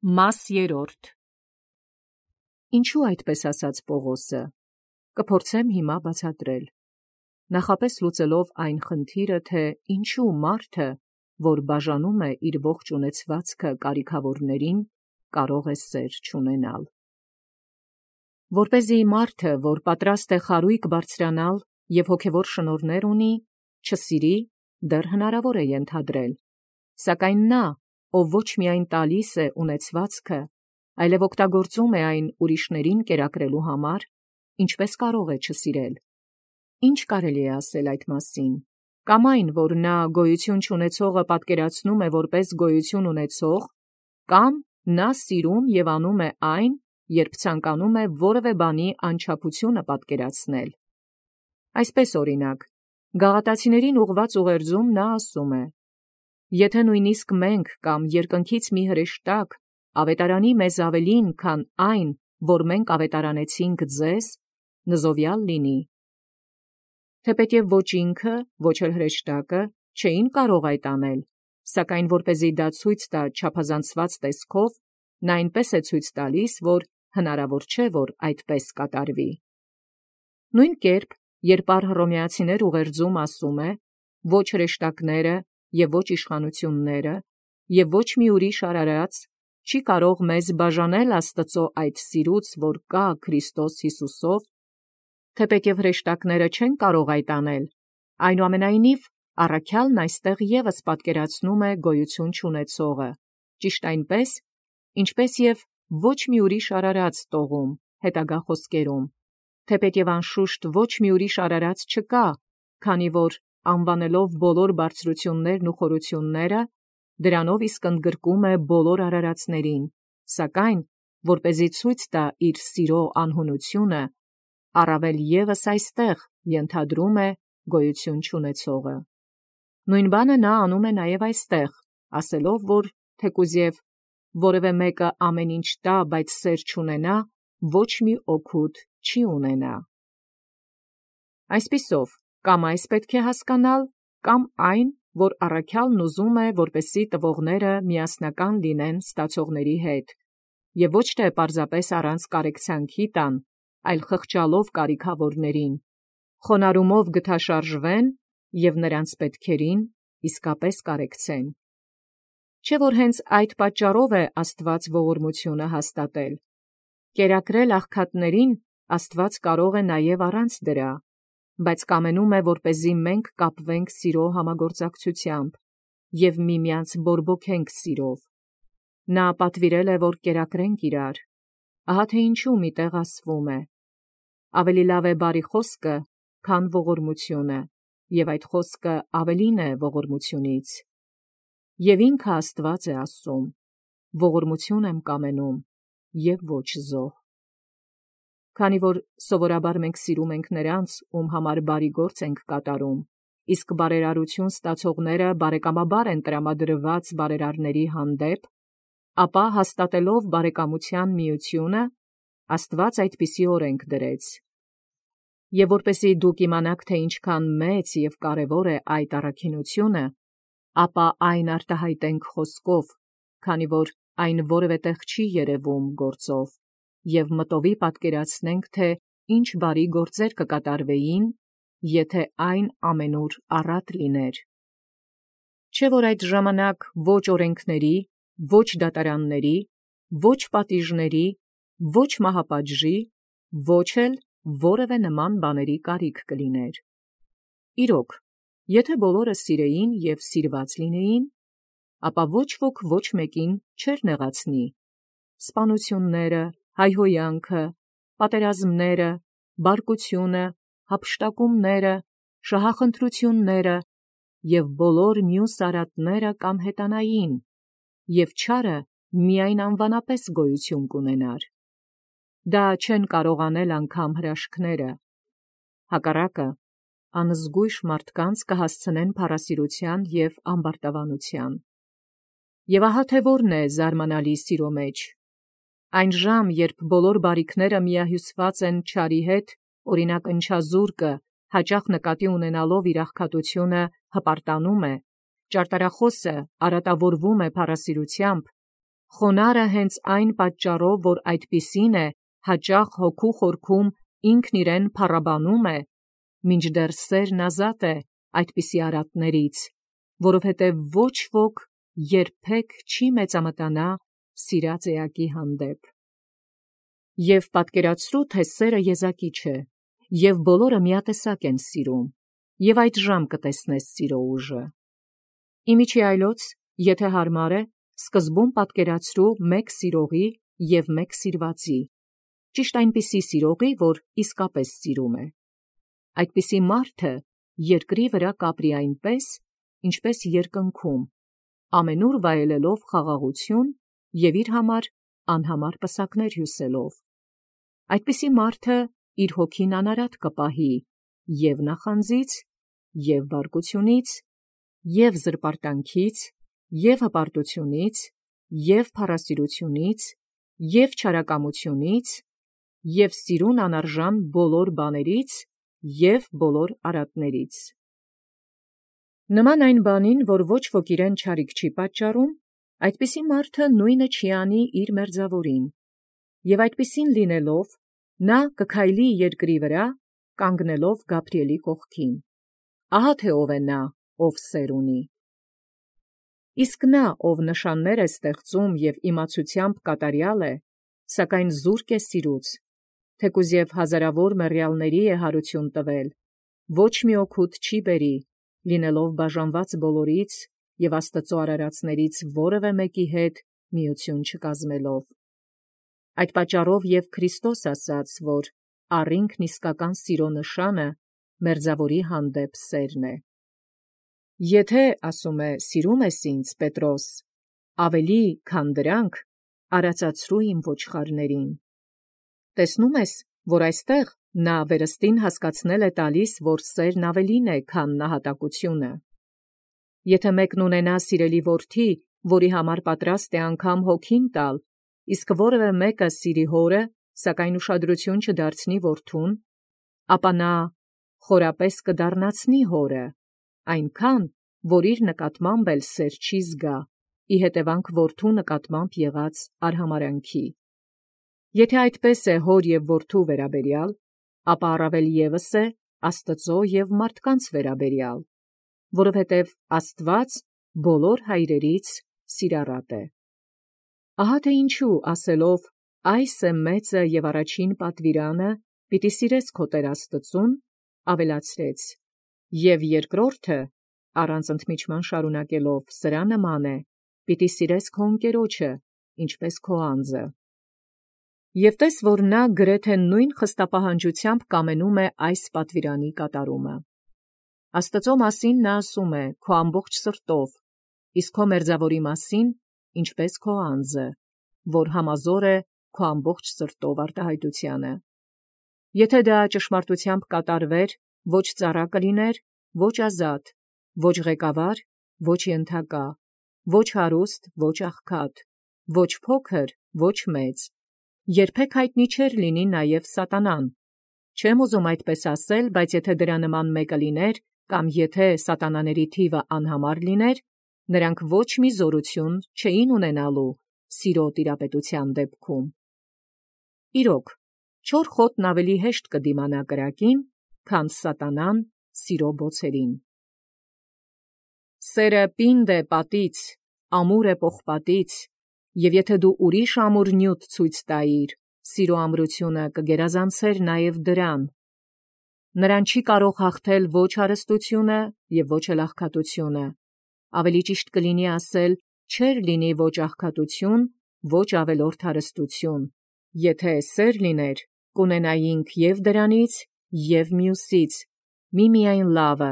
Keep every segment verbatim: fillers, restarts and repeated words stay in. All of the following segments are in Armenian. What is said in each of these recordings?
Մաս երրորդ. Ինչու այդպես ասաց Պողոսը, կփորձեմ հիմա բացատրել. նախապես լուծելով այն խնդիրը, թե ինչու մարդը, որ բաժանում է իր ողջ ունեցվածքը կարիքավորներին, կարող է սեր չունենալ. որպեսզի մարդը, որ պատրաստ է խարույկ բարձրանալ և հոգևոր շնորհներ ունի, չսիրի, դեռ հնարավոր է ենթադրել, սակայն նա, ով ոչ միայն տալիս է ունեցվածքը, այլև օգտագործում է այն ուրիշներին կերակրելու համար, ինչպես կարող է չսիրել. Ինչ կարելի է ասել այդ մասին, կամ այն, որ նա գոյություն չունեցողը պատկերացնում է որպես գոյություն ունեցող, կամ նա սիրում և անում է այն, երբ ցանկանում է որևէ բանի անչափությունը պատկերացնել. Այսպես օրինակ, գաղատացիներին ուղղված ուղերձում նա ասում է. «Եթե նույնիսկ մենք կամ երկնքից մի հրեշտակ ավետարանի մեզ ավելին, քան այն, որ մենք ավետարանեցինք ձեզ, նզովյալ լինի»։ Թեպետև ոչ ինքը, ոչ էլ հրեշտակը չէին կարող այդ անել, սակայն որպեսզի դա ցույց տա չափազանցված տեսքով, նա այնպես է ցույց տալիս, որ հնարավոր չէ, որ այդպես կատարվի։ Նույն կերպ, երբ առ Հռոմեացիներ ուղերձում ասում է. «Ոչ հրեշտակները և ոչ իշխանությունները և ոչ մի ուրիշ արարած չի կարող մեզ բաժանել Աստծո այդ սիրուց, որ կա Քրիստոս Հիսուսով», թեպետև հրեշտակները չեն կարող այդ անել, այնուամենայնիվ առաքյալն այստեղ ևս պատկերացնում է գոյություն չունեցողը, ճիշտ այնպես, ինչպես և ոչ մի ուրիշ արարած տողում, հետագա խոսքերում, թեպետև անշուշտ ոչ մի ուրիշ արարած չկա, քանի որ անվանելով բոլոր բարձրություններն ու խորությունները, դրանով իսկ ընդգրկում է բոլոր արարածներին, սակայն, որպեսզի ցույց տա իր սիրո անհունությունը, առավել ևս այստեղ ենթադրում է գոյություն չունեցողը։ Նույն բանը նա անում է նաև այստեղ, ասելով, որ թեկուզև որևէ մեկը ամեն ինչ տա, բայց սեր չունենա, ոչ մի օգուտ չի ունենա։ Այսպիսով, կամ այս պետք է հասկանալ, կամ այն, որ առաքյալն ուզում է, որպեսզի տվողները միասնական լինեն ստացողների հետ, և ոչ թե պարզապես առանց կարեկցանքի տան, այլ խղճալով կարիքավորներին, խոնարհումով գթաշարժվեն և նրանց պետքերին իսկապես կարեկցեն։ Չէ՞ որ հենց այդ պատճառով է Աստված ողորմությունը հաստատել։ Կերակրել աղքատներին Աստված կարող է նաև առանց դրա, բայց կամենում է, որպեսզի մենք կապվենք սիրո համագործակցությամբ և միմյանց բորբոքենք սիրով։ Նա պատվիրել է, որ կերակրենք իրար։ Ահա թե ինչու մի տեղ ասվում է. «Ավելի լավ է բարի խոսքը, քան ողորմությունը, և այդ խոսքը ավելին է ողորմությունից»։ Եվ ինքը Աստված է ասում. «Ողորմություն եմ կամենում, և ոչ զոհ»։ Քանի որ սովորաբար մենք սիրում ենք նրանց, ում համար բարի գործ ենք կատարում, իսկ բարերարություն ստացողները բարեկամաբար են տրամադրված բարերարների հանդեպ, ապա հաստատելով բարեկամության միությունը, Աստված այդպիսի օրենք դրեց։ Եվ որպեսզի դուք իմանաք, թե ինչքան մեծ և կարևոր է այդ առաքինությունը, ապա այն արտահայտենք խոսքով, քանի որ այն որևէ տեղ չի երևում գործով, և մտովի պատկերացնենք, թե ինչ բարի գործեր կկատարվեին, եթե այն ամենուր առատ լիներ։ Չէ՞ որ այդ ժամանակ ոչ օրենքների, ոչ դատարանների, ոչ պատիժների, ոչ մահապատժի, ոչ էլ որևէ նման բաների կարիք կլիներ։ Իրոք, եթե բոլորը սիրեին և սիրված լինեին, ապա ոչ ոք ոչ մեկին չէր նեղացնի. սպանությունները, հայհոյանքը, պատերազմները, բարկությունը, հափշտակումները, շահախնդրությունները և բոլոր մյուս արատները կամ հետանային, և չարը միայն անվանապես գոյություն կունենար։ Դա չեն կարող անել անգամ հրաշքները։ Հակառակը, անզգույշ մարդկանց կհասցնեն փառասիրության և ամբարտավանության։ Եվ ահա թե որն է զարմանալի սիրո մեջ. այն ժամ, երբ բոլոր բարիքները միահյուսված են չարի հետ, օրինակ ընչազուրկը, հաճախ նկատի ունենալով իր աղքատությունը, հպարտանում է, ճարտարախոսը արատավորվում է փառասիրությամբ, Խոնարհը հենց այն պատճառով, որ այդպիսին է, հաճախ հոգու խորքում ինքն իրեն փառաբանում է, մինչդեռ սերն ազատ է այդպիսի արատներից, որովհետև ոչ ոք երբեք չի մեծամտանա սիրած էակի հանդեպ։ Եվ պատկերացրու, թե սերը եզակի չէ, և բոլորը միատեսակ են սիրում, և այդ ժամ կտեսնես սիրո ուժը։ Իմիջի այլոց, եթե հարմար է, սկզբում պատկերացրու մեկ սիրողի և մեկ սիրվածի, ճիշտ այնպիսի սիրողի, որ իսկապես սիրում է։ Այդպիսի մարդը երկրի վրա կապրի այնպես, ինչպես երկնքում, ամենուր վայելելով խաղաղություն և իր համար անհամար պսակներ հյուսելով։ Այդպիսի մարդը իր հոգին անարատ կպահի և նախանձից, և բարկությունից, և զրպարտանքից, և հպարտությունից, և փառասիրությունից, և չարակամությունից, և սիրուն անարժան բոլոր բաներից, և բոլոր արատներից։ Նման այն բանին, որ ոչ ոք իրեն չարիք չի պատճառում, այդպիսի մարդը նույնը չի անի իր մերձավորին, և այդպիսին լինելով, նա կքայլի երկրի վրա, կանգնելով Գաբրիէլի կողքին։ Ահա թե ով է նա, ով սեր ունի։ Իսկ նա, ով նշաններ է ստեղծում և իմացությամբ կատարյալ է, սակայն զուրկ է սիրուց, թեկուզ և հազարավոր մեռյալների է հարություն տվել, ոչ մի օգուտ չի բերի, լինելով բաժանված բոլորից և Աստծու արարածներից որևէ մեկի հետ միություն չկազմելով։ Այդ պատճառով և Քրիստոս ասաց, որ առինքն իսկական սիրո նշանը մերձավորի հանդեպ սերն է։ Եթե, ասում է, սիրում ես ինձ, Պետրոս, ավելի քան դրանք, արածացրու իմ ոչխարներին։ Տեսնում ես, որ այստեղ նա վերստին հասկացնել է տալիս, որ սերն ավելին է, քան նահատակությունը։ Եթե մեկն ունենա սիրելի որդի, որի համար պատրաստ է անգամ հոգին տալ, իսկ որևէ մեկը սիրի հորը, սակայն ուշադրություն չդարձնի որդուն, ապա նա խորապես կդառնացնի հորը, այնքան, որ իր նկատմամբ էլ սեր չի զգա, ի հետևանք որդու նկատմամբ եղած արհամարհանքի։ Եթե այդպես է հոր և որդու վերաբերյալ, ապա առավել ևս է Աստծո և մարդկանց վերաբերյալ, որովհետև Աստված բոլոր հայրերից սիրառատ է։ Ահա թե ինչու ասելով «Այս է մեծը և առաջին պատվիրանը, պիտի սիրես քո Տեր Աստծուն», ավելացրեց. «Եվ երկրորդը, առանց ընդմիջման շարունակելով, սրա նման է. պիտի սիրես քո ընկերոջը, ինչպես քո անձը»։ Եվ տես, որ նա գրեթե նույն խստապահանջությամբ կամենում է այս պատվիրանի կատարումը։ Աստծո մասին նա ասում է քո ամբողջ սրտով, իսկ քո մերձավորի մասին ինչպես քո անձը, որ համազոր է քո ամբողջ սրտով արտահայտությանը։ Եթե դա ճշմարտությամբ կատարվեր, ոչ ծառա կլիներ, ոչ ազատ, ոչ ղեկավար, ոչ ենթակա, ոչ հարուստ, ոչ աղքատ, ոչ փոքր, ոչ մեծ, երբեք հայտնի չէր լինի նաև սատանան։ Չեմ ուզում այդպես ասել, բայց եթե դրա նման մեկը լիներ, կամ եթե սատանաների թիվը անհամար լիներ, նրանք ոչ մի զորություն չէին ունենալու սիրո տիրապետության դեպքում։ Իրոք, չոր խոտն ավելի հեշտ կդիմանա կրակին, քան սատանան սիրո բոցերին։ Սերը պինդ է պատից, ամուր է պողպատից, և եթե դու ուրիշ ամուր նյութ ցույց տայիր, սիրո ամրությունը կգերազանցեր նաև դրան։ Նրան չի կարող հաղթել ոչ հարստությունը և ոչ էլ աղքատությունը, ավելի ճիշտ կլինի ասել, չէր լինի ոչ աղքատություն, ոչ ավելորդ հարստություն, եթե սեր լիներ, կունենայինք և դրանից, և մյուսից, միմիայն լավը,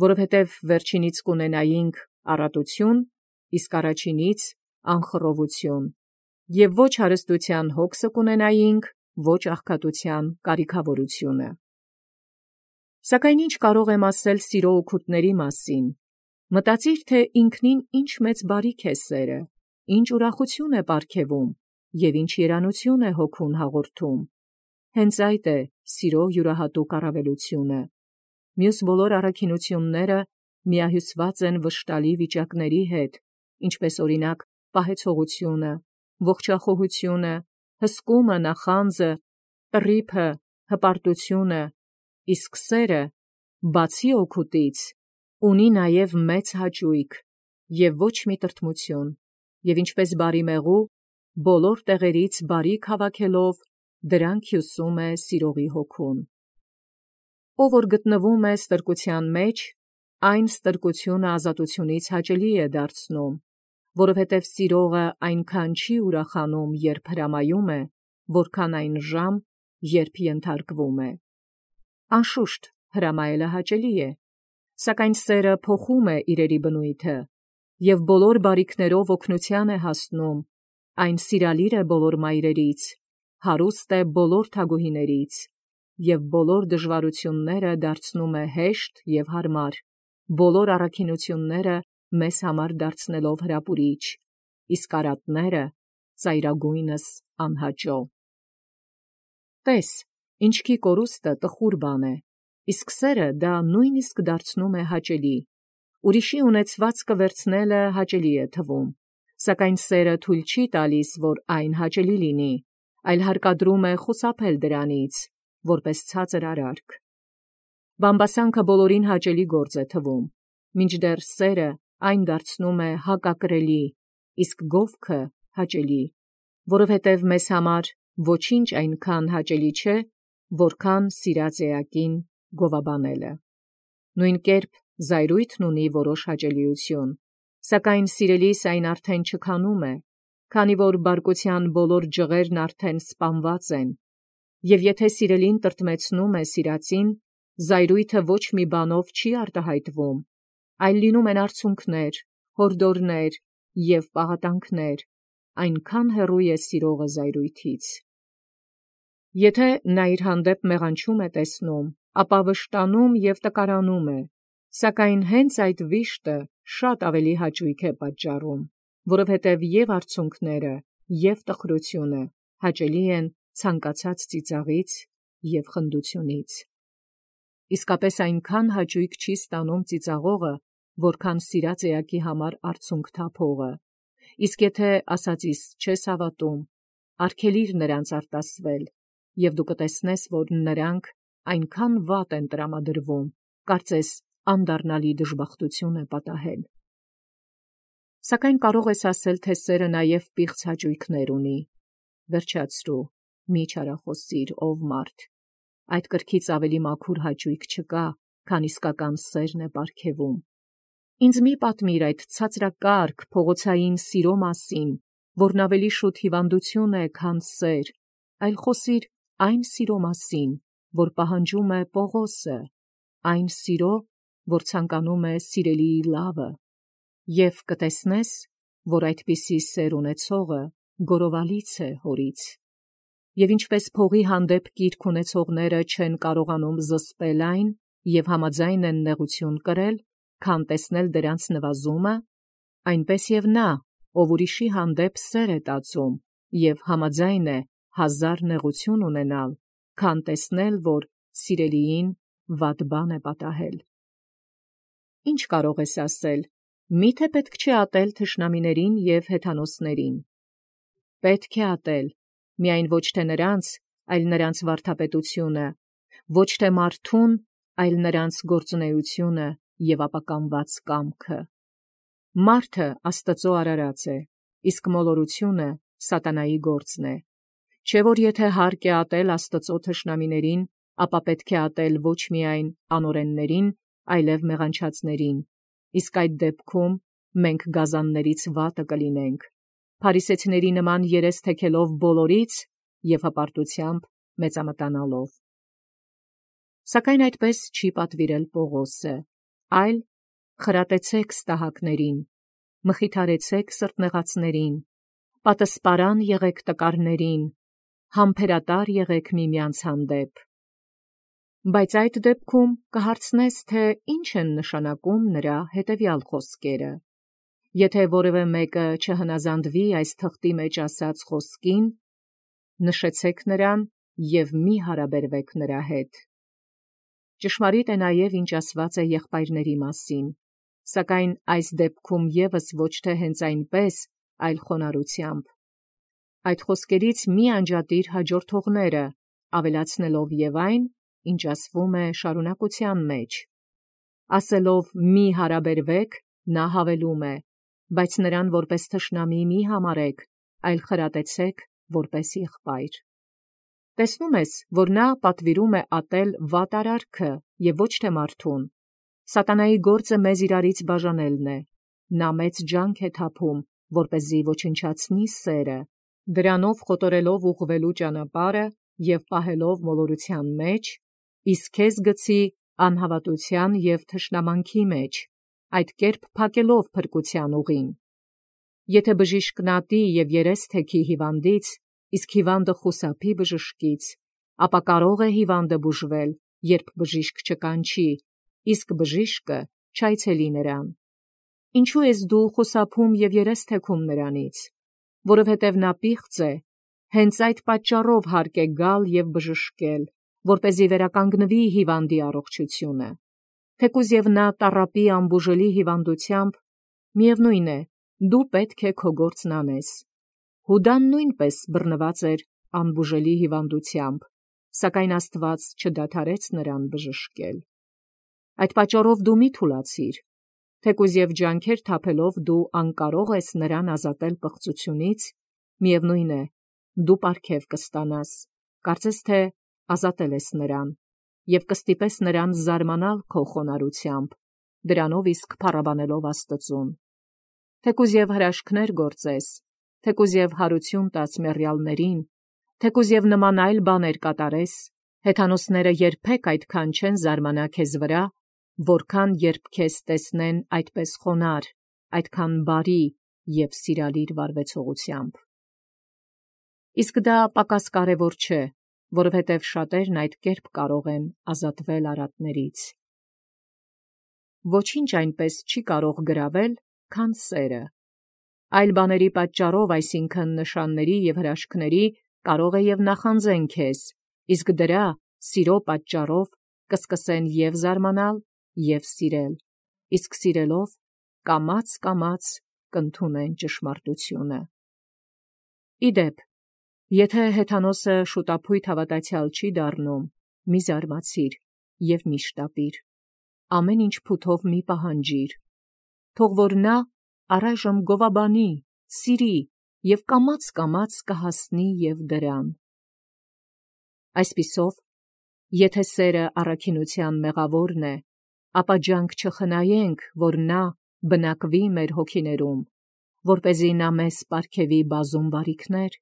որովհետև վերջինից կունենայինք առատություն, իսկ առաջինից անխռովություն, և ոչ հարստության հոգսը կունենայինք, ոչ աղքատության կարիքավորությունը։ Սակայն ինչ կարող եմ ասել սիրո օգուտների մասին։ Մտածիր, թե ինքնին ինչ մեծ բարիք է սերը, ինչ ուրախություն է պարգևում և ինչ երանություն է հոգուն հաղորդում։ Հենց այդ է սիրո յուրահատուկ առավելությունը։ Մյուս բոլոր առաքինությունները միահյուսված են վշտալի վիճակների հետ, ինչպես օրինակ պահեցողությունը, ողջախոհությունը, հսկումը, նախանձը, տրիփը, հպարտությունը, իսկ սերը, բացի օգուտից, ունի նաև մեծ հաճույք և ոչ մի տրտմություն, և ինչպես բարի մեղու, բոլոր տեղերից բարիք հավաքելով, դրանք հյուսում է սիրողի հոգուն։ Ով որ գտնվում է ստրկության մեջ, այն ստրկությունը ազատությունից հաճելի է դարձնում, որովհետև սիրողը այնքան չի ուրախանում, երբ հրամայում է, որքան այն ժամ, երբ ենթարկվում է։ Անշուշտ, հրամայելը հաճելի է, սակայն սերը փոխում է իրերի բնույթը, և բոլոր բարիքներով օգնության է հասնում, այն սիրալիր է բոլոր մայրերից, հարուստ է բոլոր թագուհիներից, և բոլոր դժվարությունները դարձնում է հեշտ և հարմար, բոլոր առաքինությունները մեզ համար դարձնելով հրապուրիչ, իսկ արատները ծայրագույնս անհաճո։ Տես, ինչքի կորուստը տխուր բան է, իսկ սերը դա նույնիսկ դարձնում է հաճելի, ուրիշի ունեցվածքը վերցնելը հաճելի է թվում, սակայն սերը թույլ չի տալիս, որ այն հաճելի լինի, այլ հարկադրում է խուսափել դրանից, որպես ցածր արարք։ Բամբասանքը բոլորին հաճելի գործ է թվում, մինչդեռ սերը այն դարձնում է հակակրելի, իսկ գովքը հաճելի, որովհետև մեզ համար ոչինչ այնքան հաճելի չէ, որքան սիրած էակին գովաբանելը։ Նույն կերպ զայրույթն ունի որոշ հաճելիություն, սակայն սիրելիս այն արդեն չքանում է, քանի որ բարկության բոլոր ջղերն արդեն սպանված են, և եթե սիրելին տրտմեցնում է սիրածին, զայրույթը ոչ մի բանով չի արտահայտվում, այլ լինում են արցունքներ, հորդորներ և պաղատանքներ, այնքան հեռու է սիրողը զայրույթից։ Եթե նա իր հանդեպ մեղանչում է տեսնում, ապա վշտանում և տկարանում է, սակայն հենց այդ վիշտը շատ ավելի հաճույք է պատճառում, որովհետև և արցունքները, և տխրությունը հաճելի են ցանկացած ծիծաղից և խնդությունից։ Իսկապես այնքան հաճույք չի ստանում ծիծաղողը, որքան սիրած էակի համար արցունք թափողը, իսկ եթե ասածիս չես հավատում, արգելիր նրանց արտասվել, և դու կտեսնես, որ նրանք այնքան վատ են տրամադրվում, կարծես անդառնալի դժբախտություն է պատահել։ Սակայն կարող ես ասել, թե սերը նաև պիղծ հաճույքներ ունի։ Վերջացրու, մի չարախոսիր, ով մարդ, այդ կրքից ավելի մաքուր հաճույք չկա, քան իսկական սերն է պարգևում։ Ինձ մի պատմիր այդ ցածրակարգ փողոցային սիրո մասին, որն ավելի շուտ հիվանդություն է, քան սեր, այլ խոսիր այն սիրո մասին, որ պահանջում է Պողոսը, այն սիրո, որ ցանկանում է սիրելիի լավը, և կտեսնես, որ այդպիսի սեր ունեցողը գորովալից է հորից։ Եվ ինչպես փողի հանդեպ կիրք ունեցողները չեն կարողանում զսպել այն և համաձայն են նեղություն կրել, քան տեսնել դրանց նվազումը, այնպես և նա, ով ուրիշի հանդեպ սեր է տածում և համաձայն է հազար նեղություն ունենալ, քան տեսնել, որ սիրելիին վատ բան է պատահել։ Ինչ կարող ես ասել, միթե պետք չէ ատել թշնամիներին և հեթանոսներին։ Պետք է ատել, միայն ոչ թե նրանց, այլ նրանց վարդապետությունը, ոչ թե մարդուն, այլ նրանց գործունեությունը և ապականված կամքը։ Մարդը Աստծո արարած է, իսկ մոլորությունը սատանայի գործն է։ Չէ՞ որ եթե հարկ է ատել Աստծո թշնամիներին, ապա պետք է ատել ոչ միայն անօրեններին, այլև մեղանչածներին, իսկ այդ դեպքում մենք գազաններից վատը կլինենք, փարիսեցիների նման երես թեքելով բոլորից և հպարտությամբ մեծամտանալով։ Սակայն այդպես չի պատվիրել Պողոսը, այլ խրատեցեք ստահակներին, մխիթարեցեք սրտնեղածներին, պատսպարան եղեք տկարներին, համբերատար եղեք միմյանց հանդեպ։ Բայց այդ դեպքում կհարցնես, թե ինչ են նշանակում նրա հետևյալ խոսքերը. եթե որևէ մեկը չհնազանդվի այս թղթի մեջ ասած խոսքին, նշեցեք նրան և մի հարաբերվեք նրա հետ։ Ճշմարիտ է նաև, ինչ ասված է եղբայրների մասին, սակայն այս դեպքում ևս ոչ թե հենց այնպես, այլ խոնարհությամբ։ Այդ խոսքերից մի անջատիր հաջորդողները, ավելացնելով եւ այն, ինչ ասվում է շարունակության մեջ։ Ասելով մի հարաբերվեք, նա հավելում է, բայց նրան որպես թշնամի մի համարեք, այլ խրատեցեք որպես եղբայր։ Տեսնում ես, որ նա պատվիրում է ատել վատարարքը եւ ոչ թե մարդուն։ Սատանայի գործը մեզ իրարից բաժանելն է։ Նա մեծ ջանք է թափում, որպեսզի ոչնչացնի սերը, դրանով խոտորելով ուղղվելու ճանապարհը եւ պահելով մոլորության մեջ, իսկ քեզ գցի անհավատության եւ թշնամանքի մեջ, այդ կերպ փակելով փրկության ուղին։ Եթե բժիշկն ատի եւ երես թեքի հիվանդից, իսկ հիվանդը խուսափի բժշկից, ապա կարող է հիվանդը բուժվել, երբ բժիշկ չկանչի, իսկ բժիշկը չայցելի նրան։ Ինչու ես դու խուսափում եւ երես թեքում նրանից, որովհետեւ նա պիղծ է, հենց այդ պատճառով հարկ է գալ եւ բժշկել, որպեսզի վերականգնվի հիվանդի առողջությունը։ Թեկուզ եւ նա տառապի անբուժելի հիվանդությամբ, միևնույն է, դու պետք է քո գործն անես։ Հուդան նույնպես բռնված էր անբուժելի հիվանդությամբ, սակայն Աստված չդադարեց նրան բժշկել։ Այդ պատճառով դու մի թուլացիր, թեկուզ եւ ջանքեր թափելով դու անկարող ես նրան ազատել պղծությունից, միևնույն է, դու պարգև կստանաս, կարծես թե ազատել ես նրան, եւ կստիպես նրան զարմանալ քո խոնարհությամբ, դրանով իսկ փառաբանելով Աստծուն։ Թեկուզ եւ հրաշքներ գործես, թեկուզ եւ հարություն տաս մեռյալներին, թեկուզ եւ նման այլ բաներ կատարես, հեթանոսները երբեք այդքան չեն զարմանա քեզ վրա, որքան երբ քեզ տեսնեն այդպես խոնարհ, այդքան բարի եւ սիրալիր վարվեցողությամբ։ Իսկ դա պակաս կարևոր չէ, որովհետև շատերն այդ կերպ կարող են ազատվել արատներից։ Ոչինչ այնպես չի կարող գրավել, քան սերը։ Այլ բաների պատճառով, այսինքն նշանների եւ հրաշքների, կարող է եւ նախանձեն քեզ, իսկ դրա սիրո պատճառով կսկսեն եւ զարմանալ, եւ սիրել, իսկ սիրելով կամաց-կամաց կընդունեն ճշմարտությունը։ Իդեպ, եթե հեթանոսը շուտափույթ հավատացյալ չի դառնում, մի զարմացիր եւ մի շտապիր, ամեն ինչ փութով մի պահանջիր, թող որ նա առայժմ գովաբանի, սիրի եւ կամաց-կամաց կհասնի եւ դրան։ Այսպիսով, եթե սերը առաքինության մեղավորն է, ապա ջանք չխնայենք, որ նա բնակվի մեր հոգիներում, որպեսզի նա մեզ պարգևի բազում բարիքներ,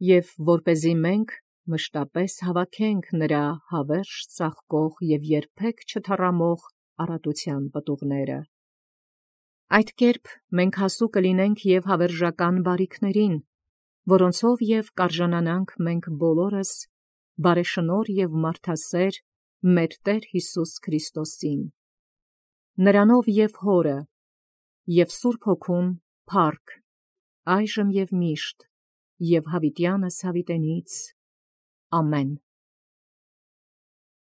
եւ որպեսզի մենք մշտապես հավաքենք նրա հավերժ ծաղկող եւ երբեք չթառամող առատության պտուղները։ Այդ կերպ մենք հասու կլինենք եւ հավերժական բարիքներին, որոնցով եւ կարժանանանք մենք բոլորս բարեշնորհ եւ մարդասեր մեր Տեր Հիսուս Քրիստոսին։ Նրանով եւ Հորը եւ Սուրբ Հոգուն փառք, այժմ եւ միշտ, եւ հավիտյանս հավիտենից։ Ամեն։